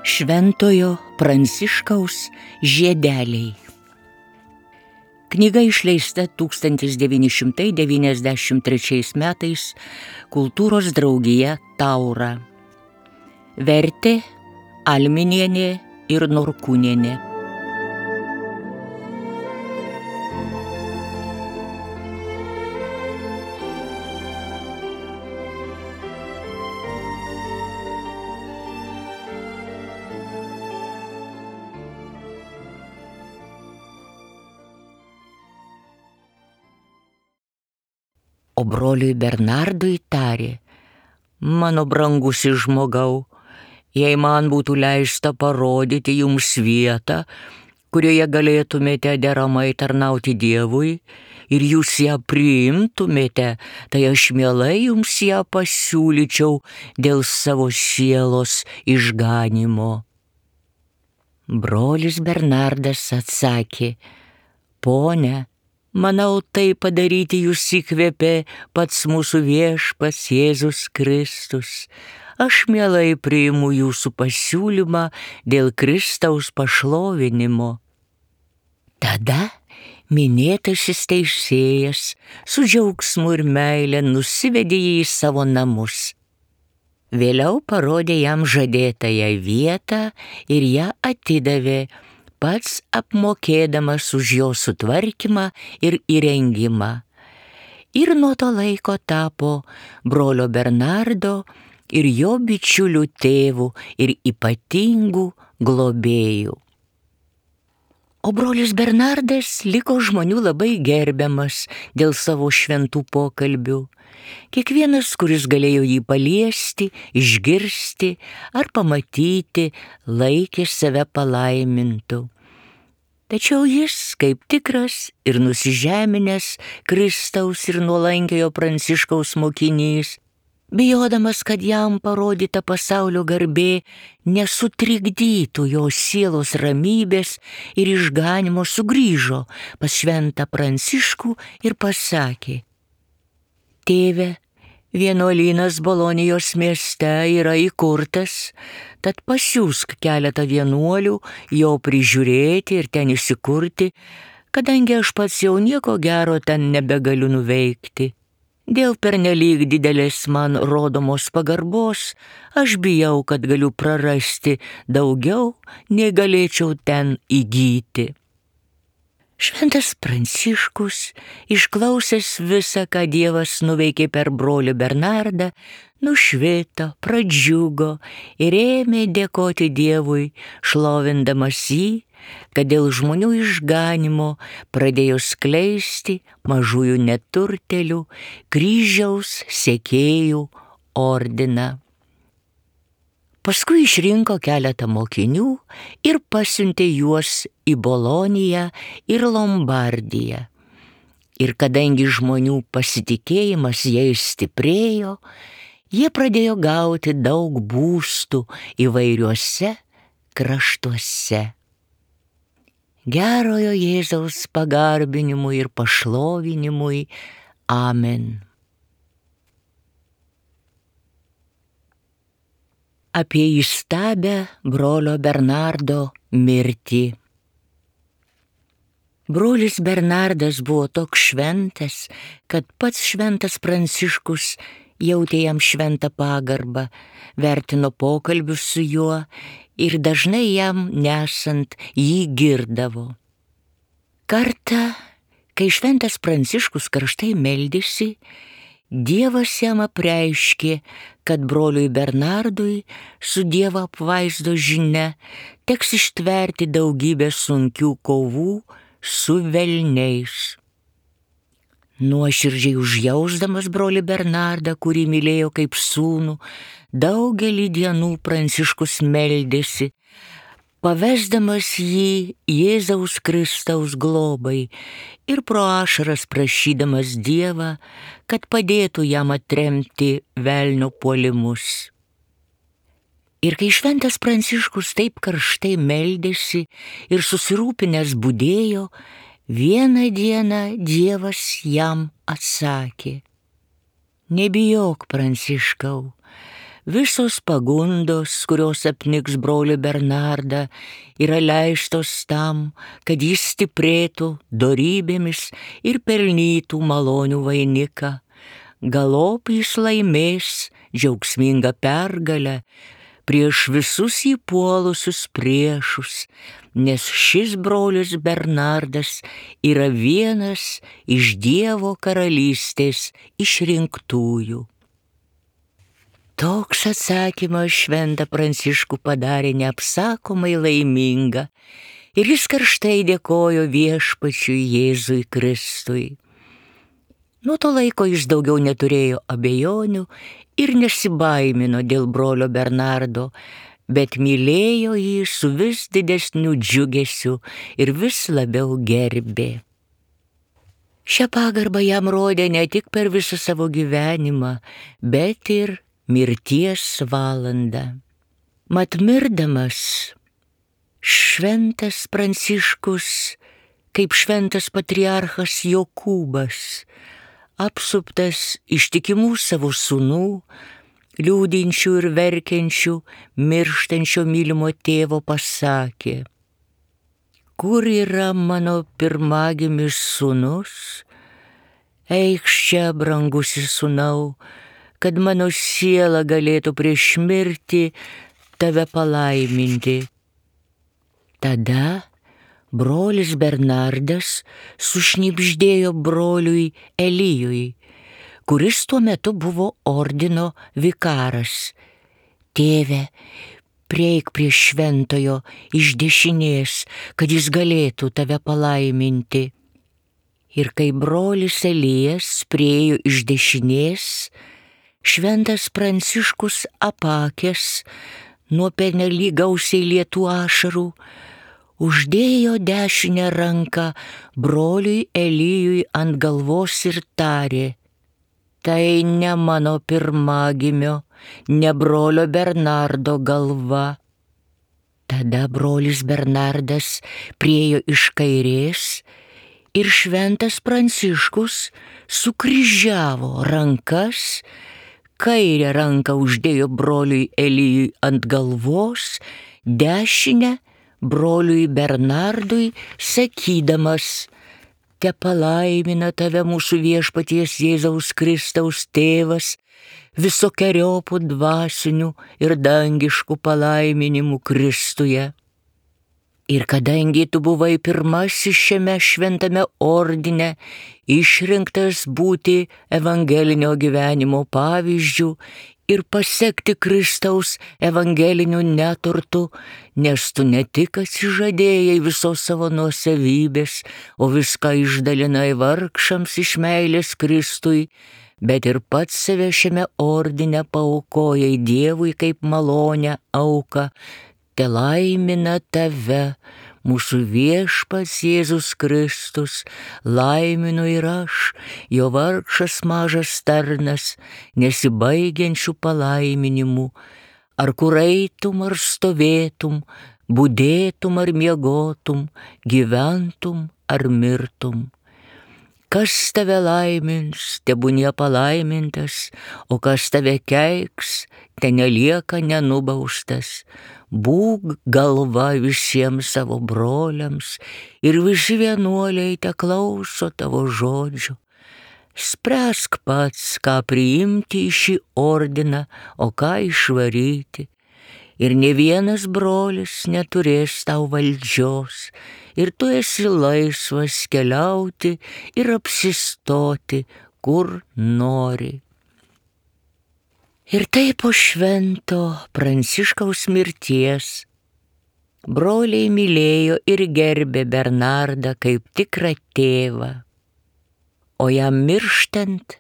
Šventojo Pranciškaus žiedeliai. Knyga išleista 1993 metais Kultūros draugija Taura. Vertė Alminienė ir Norkūnienė. O broliui Bernardui tarė: mano brangusis žmogau, jei man būtų leista parodyti jums vietą, kurioje galėtumėte deramai tarnauti Dievui ir jūs ją priimtumėte, tai aš mielai jums ją pasiūlyčiau dėl savo sielos išganymo. Brolis Bernardas atsakė: pone, manau, tai padaryti jūs įkvėpė pats mūsų viešpats Jėzus Kristus. Aš mielai priimu jūsų pasiūlymą dėl Kristaus pašlovinimo. Tada minėtasis teisėjas su džiaugsmu ir meile nusivedė jį į savo namus. Vėliau parodė jam žadėtąją vietą ir ją atidavė, pats apmokėdamas už jo sutvarkymą ir įrengimą. Ir nuo to laiko tapo brolio Bernardo ir jo bičiulių tėvų ir ypatingų globėjų. O brolis Bernardas liko žmonių labai gerbiamas dėl savo šventų pokalbių. Kiekvienas, kuris galėjo jį paliesti, išgirsti ar pamatyti, laikė save palaimintu. Tačiau jis, kaip tikras ir nusižeminęs Kristaus ir nuolankiojo Pranciškaus mokinys, bijodamas, kad jam parodyta pasaulio garbė nesutrikdytų jo sielos ramybės ir išganymo, sugrįžo pas šventą Pranciškų ir pasakė: tėve, vienuolynas Bolonijos mieste yra įkurtas, tad pasiųsk keletą vienuolių jo prižiūrėti ir ten įsikurti, kadangi aš pats jau nieko gero ten nebegaliu nuveikti. Dėl pernelyg didelės man rodomos pagarbos aš bijau, kad galiu prarasti daugiau, nei galėčiau ten įgyti. Šventas Pranciškus, išklausęs visą, ką Dievas nuveikė per brolį Bernardą, nušvito, pradžiugo ir ėmė dėkoti Dievui, šlovindamas jį, kad dėl žmonių išganymo pradėjo skleisti mažųjų neturtėlių kryžiaus sekėjų ordiną. Paskui išrinko keletą mokinių ir pasiuntė juos į Boloniją ir Lombardiją. Ir kadangi žmonių pasitikėjimas jais stiprėjo, jie pradėjo gauti daug būstų įvairiuose kraštuose. Gerojo Jėzaus pagarbinimui ir pašlovinimui. Amen. Apie įstabią brolio Bernardo mirtį. Brolis Bernardas buvo toks šventas, kad pats šventas Pranciškus jautė jam šventą pagarbą, vertino pokalbius su juo ir dažnai jam nesant jį girdavo. Kartą, kai šventas Pranciškus karštai meldėsi, Dievas jam apreiškė, kad broliui Bernardui su Dievo apvaizdos žinia teks ištverti daugybę sunkių kovų su velniais. Nuoširdžiai užjausdamas brolį Bernardą, kurį mylėjo kaip sūnų, daugelį dienų Pranciškus meldėsi, pavesdamas jį Jėzaus Kristaus globai ir pro ašaras prašydamas Dievą, kad padėtų jam atremti velnio puolimus. Ir kai šventas Pranciškus taip karštai meldėsi ir susirūpinęs budėjo, vieną dieną Dievas jam atsakė: Nebijok, Pranciškau, visos pagundos, kurios apniks brolį Bernardą, yra leistos tam, kad jis stiprėtų dorybėmis ir pelnytų malonių vainiką. Galop jis laimės džiaugsmingą pergalę prieš visus įpuolusius priešus, nes šis brolis Bernardas yra vienas iš Dievo karalystės išrinktųjų. Toks atsakymas šventą Pranciškų padarė neapsakomai laimingą ir jis karštai dėkojo Viešpačiui Jėzui Kristui. Nuo to laiko jis daugiau neturėjo abejonių ir nesibaimino dėl brolio Bernardo, bet mylėjo jį su vis didesniu džiugesiu ir vis labiau gerbė. Šią pagarbą jam rodė ne tik per visą savo gyvenimą, bet ir mirties valandą. Mat mirdamas, šventas Pranciškus, kaip šventas patriarchas Jokūbas, apsuptas ištikimų savo sūnų, liūdinčių ir verkiančių, mirštančio mylimo tėvo pasakė: kur yra mano pirmagimis sūnus? Eikš čia, brangusis sūnau, kad mano siela galėtų prieš mirtį tave palaiminti. Tada brolis Bernardas sušnibždėjo broliui Elijui, kuris tuo metu buvo ordino vikaras: tėve, prieik prie šventojo iš dešinės, kad jis galėtų tave palaiminti. Ir kai brolis Elijas priėjo iš dešinės, šventas Pranciškus apakęs nuo pernelyg gausiai lietų ašarų, uždėjo dešinę ranką broliui Elijui ant galvos ir tarė: tai ne mano pirmagimio, ne brolio Bernardo galva. Tada brolis Bernardas priėjo iš kairės ir šventas Pranciškus sukryžiavo rankas, kairę ranką uždėjo broliui Elijui ant galvos, dešinę broliui Bernardui, sakydamas: te palaimina tave mūsų Viešpaties Jėzaus Kristaus tėvas visokeriopų dvasinių ir dangiškų palaiminimų Kristuje. Ir kadangi tu buvai pirmasis šiame šventame ordine, išrinktas būti evangelinio gyvenimo pavyzdžiu ir pasekti Kristaus evangeliniu neturtu, nes tu ne tik atsižadėjai visos savo nuosavybės, o viską išdalinai vargšams iš meilės Kristui, bet ir pats save šiame ordine paaukojai Dievui kaip malonę auką. Te laimina tave mūsų Viešpats Jėzus Kristus, laiminu ir aš, jo vargšas mažas tarnas, nesibaigiančių palaiminimų, ar kur eitum ar stovėtum, budėtum ar miegotum, gyventum ar mirtum. Kas tave laimins, tebūnie palaimintas, o kas tave keiks, te nelieka nenubaustas. Būk galva visiems savo broliams ir visi vienuoliai te klauso tavo žodžių. Spręsk pats, ką priimti į šį ordiną, o ką išvaryti. Ir ne vienas brolis neturės tau valdžios, ir tu esi laisvas keliauti ir apsistoti, kur nori. Ir taip po švento Pranciškaus mirties broliai mylėjo ir gerbė Bernardą kaip tikrą tėvą, o jam mirštant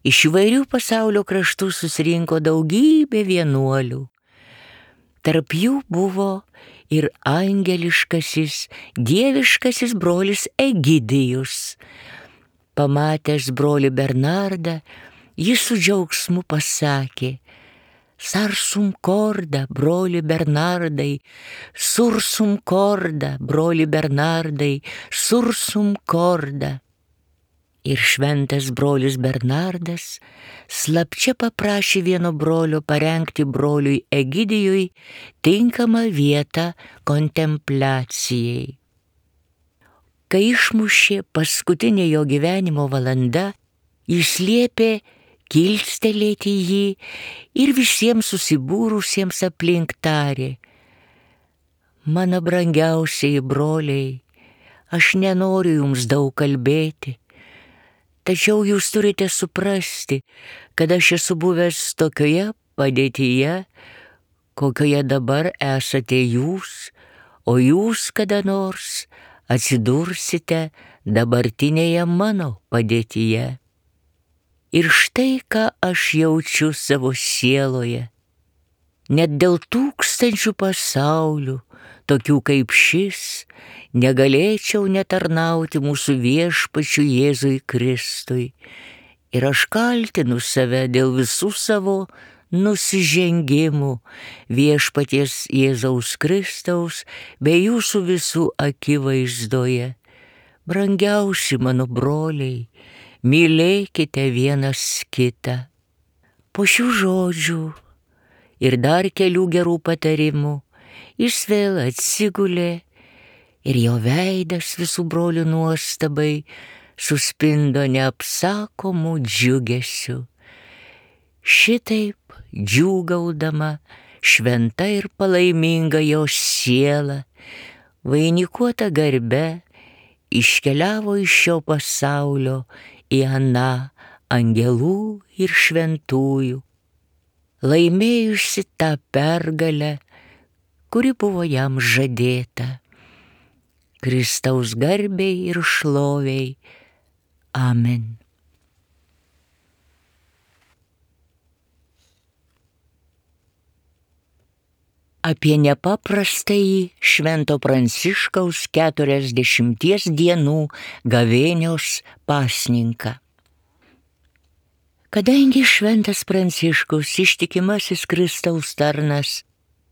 iš įvairių pasaulio kraštų susirinko daugybė vienuolių. Tarp jų buvo ir angeliškasis, dieviškasis brolis Egidijus. Pamatęs brolį Bernardą, jis su džiaugsmu pasakė: Sarsum corda, broli Bernardai, sursum corda, broli Bernardai, sursum corda. Ir šventas brolis Bernardas slapčia paprašė vieno brolio parengti broliui Egidijui tinkamą vietą kontempliacijai. Kai išmušė paskutinė jo gyvenimo valanda, jis liepė kilstelėti jį ir visiems susibūrusiems aplink tarė: mano brangiausieji broliai, aš nenoriu jums daug kalbėti, tačiau jūs turite suprasti, kad aš esu buvęs tokioje padėtyje, kokioje dabar esate jūs, o jūs kada nors atsidursite dabartinėje mano padėtyje. Ir štai ką aš jaučiu savo sieloje. Net dėl tūkstančių pasaulių, tokių kaip šis, negalėčiau netarnauti mūsų viešpačiui Jėzui Kristui. Ir aš kaltinu save dėl visų savo nusižengimų viešpaties Jėzaus Kristaus bei jūsų visų akivaizdoje. Brangiausi mano broliai, mylėkite vienas kitą. Po šių žodžių ir dar kelių gerų patarimų jis vėl atsigulė ir jo veidas visų brolių nuostabai suspindo neapsakomų džiugesiu. Šitaip džiūgaudama šventa ir palaiminga jo siela, vainikuota garbe, iškeliavo iš šio pasaulio į aną angelų ir šventųjų, laimėjusi tą pergalę, kuri buvo jam žadėta. Kristaus garbei ir šloviai. Amen. Apie nepaprastąjį Švento Pranciškaus 40 dienų gavėnios pasninką. Kadangi Šventas Pranciškus, ištikimasis Kristaus tarnas,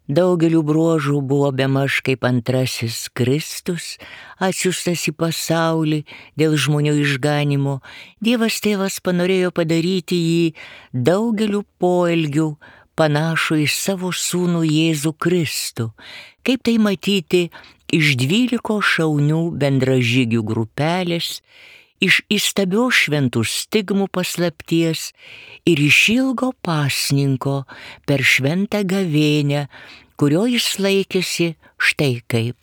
daugeliu bruožų buvo bemaž kaip antrasis Kristus, atsiųstas į pasaulį dėl žmonių išganimo, Dievas Tėvas panorėjo padaryti jį daugeliu poelgių panašų į savo sūnų Jėzų Kristų, kaip tai matyti iš 12 šaunių bendražygių grupelės, iš įstabios šventų stigmų paslapties ir iš ilgo pasninko per šventą gavėnią, kurio jis laikėsi štai kaip.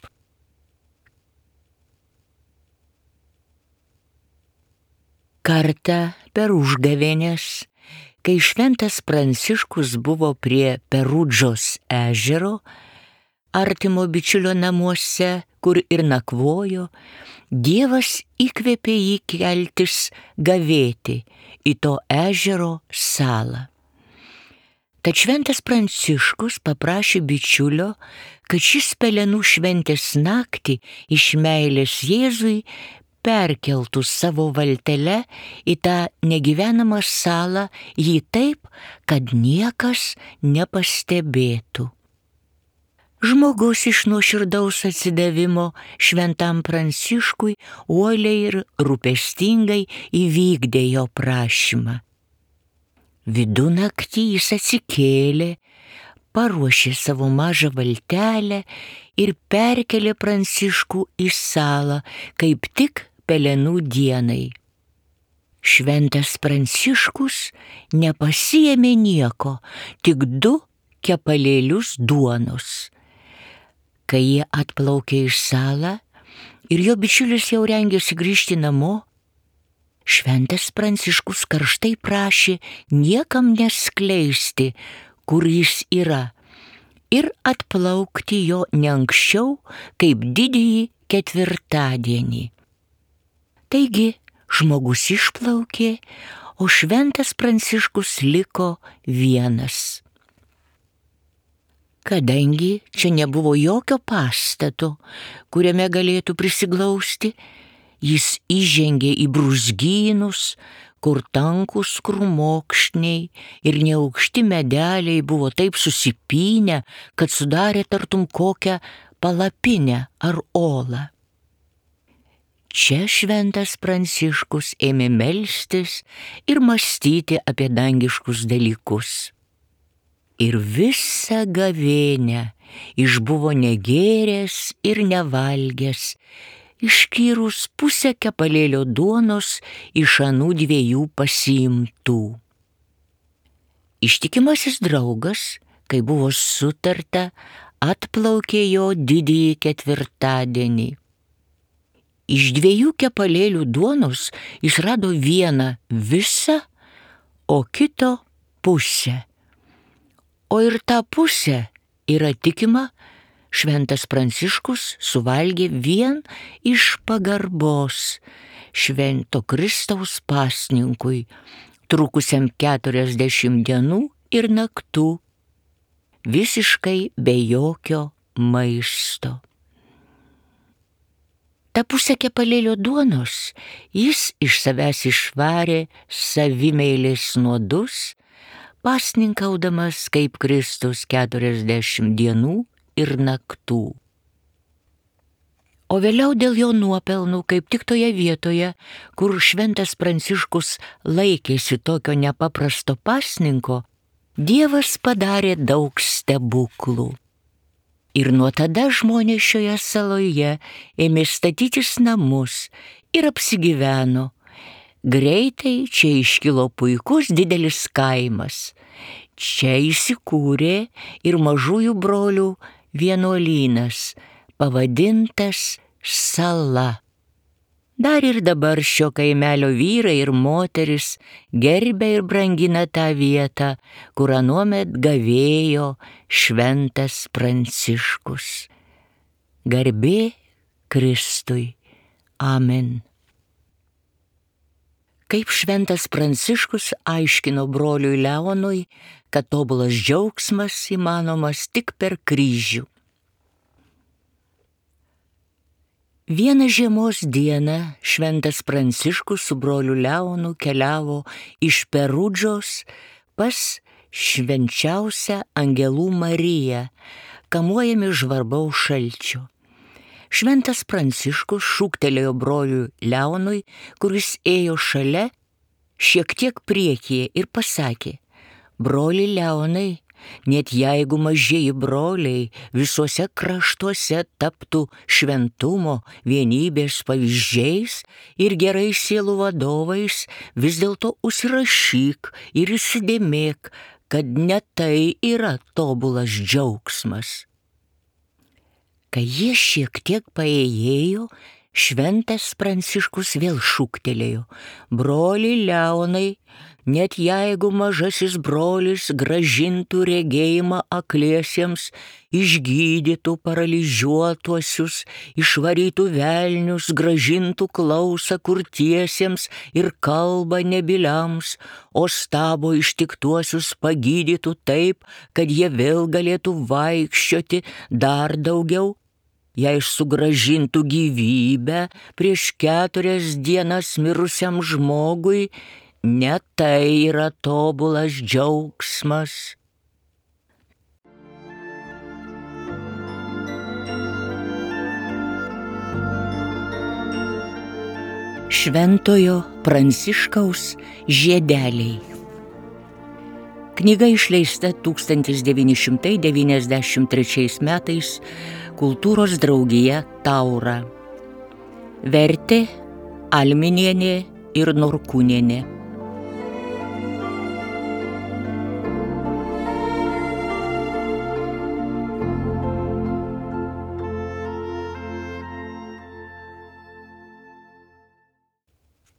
Kartą per užgavėnes, kai Šventas Pranciškus buvo prie Perudžos ežero, artimo bičiulio namuose, kur ir nakvojo, Dievas įkvėpė jį keltis gavėti į to ežero salą. Tad Šventas Pranciškus paprašė bičiulio, kad šis pelenų šventės naktį iš meilės Jėzui perkeltų savo valtele į tą negyvenamą salą jį taip, kad niekas nepastebėtų. Žmogus iš nuoširdaus atsidavimo Šventam Pranciškui uoliai ir rūpestingai įvykdė jo prašymą. Vidunaktį jis atsikėlė, paruošė savo mažą valtelę ir perkelė Pranciškų į salą, kaip tik pelenų dienai. Šventas Pranciškus nepasiėmė nieko, tik 2 kepalėlius duonos. Kai jie atplaukė į salą ir jo bičiulis jau rengėsi grįžti namo, Šventas Pranciškus karštai prašė niekam neskleisti, kur jis yra, ir atplaukti jo ne anksčiau kaip didįjį ketvirtadienį. Taigi žmogus išplaukė, o Šventas Pranciškus liko vienas. Kadangi čia nebuvo jokio pastato, kuriame galėtų prisiglausti, jis įžengė į brūzgynus, kur tankūs krūmokšniai ir neaukšti medeliai buvo taip susipynę, kad sudarė tartum kokią palapinę ar olą. Čia šventas Pranciškus ėmė melstis ir mąstyti apie dangiškus dalykus. Ir visą gavėnią išbuvo negėręs ir nevalgęs, išskyrus pusę kepalėlio duonos iš anų 2 pasiimtų. Ištikimasis draugas, kai buvo sutarta, atplaukė jo didįjį ketvirtadienį. Iš 2 kepalėlių duonos jis rado vieną visą, o kito pusę. O ir tą pusę, yra tikima, šventas Pranciškus suvalgė vien iš pagarbos švento Kristaus pasninkui, trukusiam 40 dienų ir naktų, visiškai be jokio maisto. Ta pusę kepalėlio duonos jis iš savęs išvarė savimeilės nuodus, pasninkaudamas kaip Kristus 40 dienų ir naktų. O vėliau dėl jo nuopelnų, kaip tik toje vietoje, kur šventas Pranciškus laikėsi tokio nepaprasto pasninko, Dievas padarė daug stebuklų. Ir nuo tada žmonės šioje saloje ėmė statytis namus ir apsigyveno. Greitai čia iškilo puikus didelis kaimas. Čia įsikūrė ir mažųjų brolių vienuolynas, pavadintas Sala. Dar ir dabar šio kaimelio vyrai ir moteris gerbia ir brangina tą vietą, kur anuomet gavėjo šventas Pranciškus. Garbė Kristui. Amen. Kaip šventas Pranciškus aiškino broliui Leonui, kad tobulas džiaugsmas įmanomas tik per kryžių. Vieną žiemos dieną šventas Pranciškus su broliu Leonu keliavo iš Perudžos pas švenčiausią Angelų Mariją, kamuojami žvarbaus šalčio. Šventas Pranciškus šūktelėjo broliui Leonui, kuris ėjo šalia, šiek tiek priekyje ir pasakė: broli Leonai, net jeigu mažieji broliai visuose kraštuose taptų šventumo, vienybės pavyzdžiais ir gerais sielų vadovais, vis dėlto užsirašyk ir įsidėmėk, kad ne tai yra tobulas džiaugsmas. Kai jie šiek tiek paėjėjo, šventas Pranciškus vėl šūktelėjo: broli Leonai, net jeigu mažasis brolis grąžintų regėjimą akliesiems, išgydytų paralyžiuotuosius, išvarytų velnius, grąžintų klausą kurtiesiems ir kalbą nebyliams, o stabo ištiktuosius pagydytų taip, kad jie vėl galėtų vaikščioti dar daugiau, jei sugrąžintų gyvybę prieš 4 dienas mirusiam žmogui, ne tai yra tobulas džiaugsmas. Šventojo Pranciškaus žiedeliai. Knyga išleista 1993 metais Kultūros draugija Taura. Vertė Alminienė ir Norkūnienė.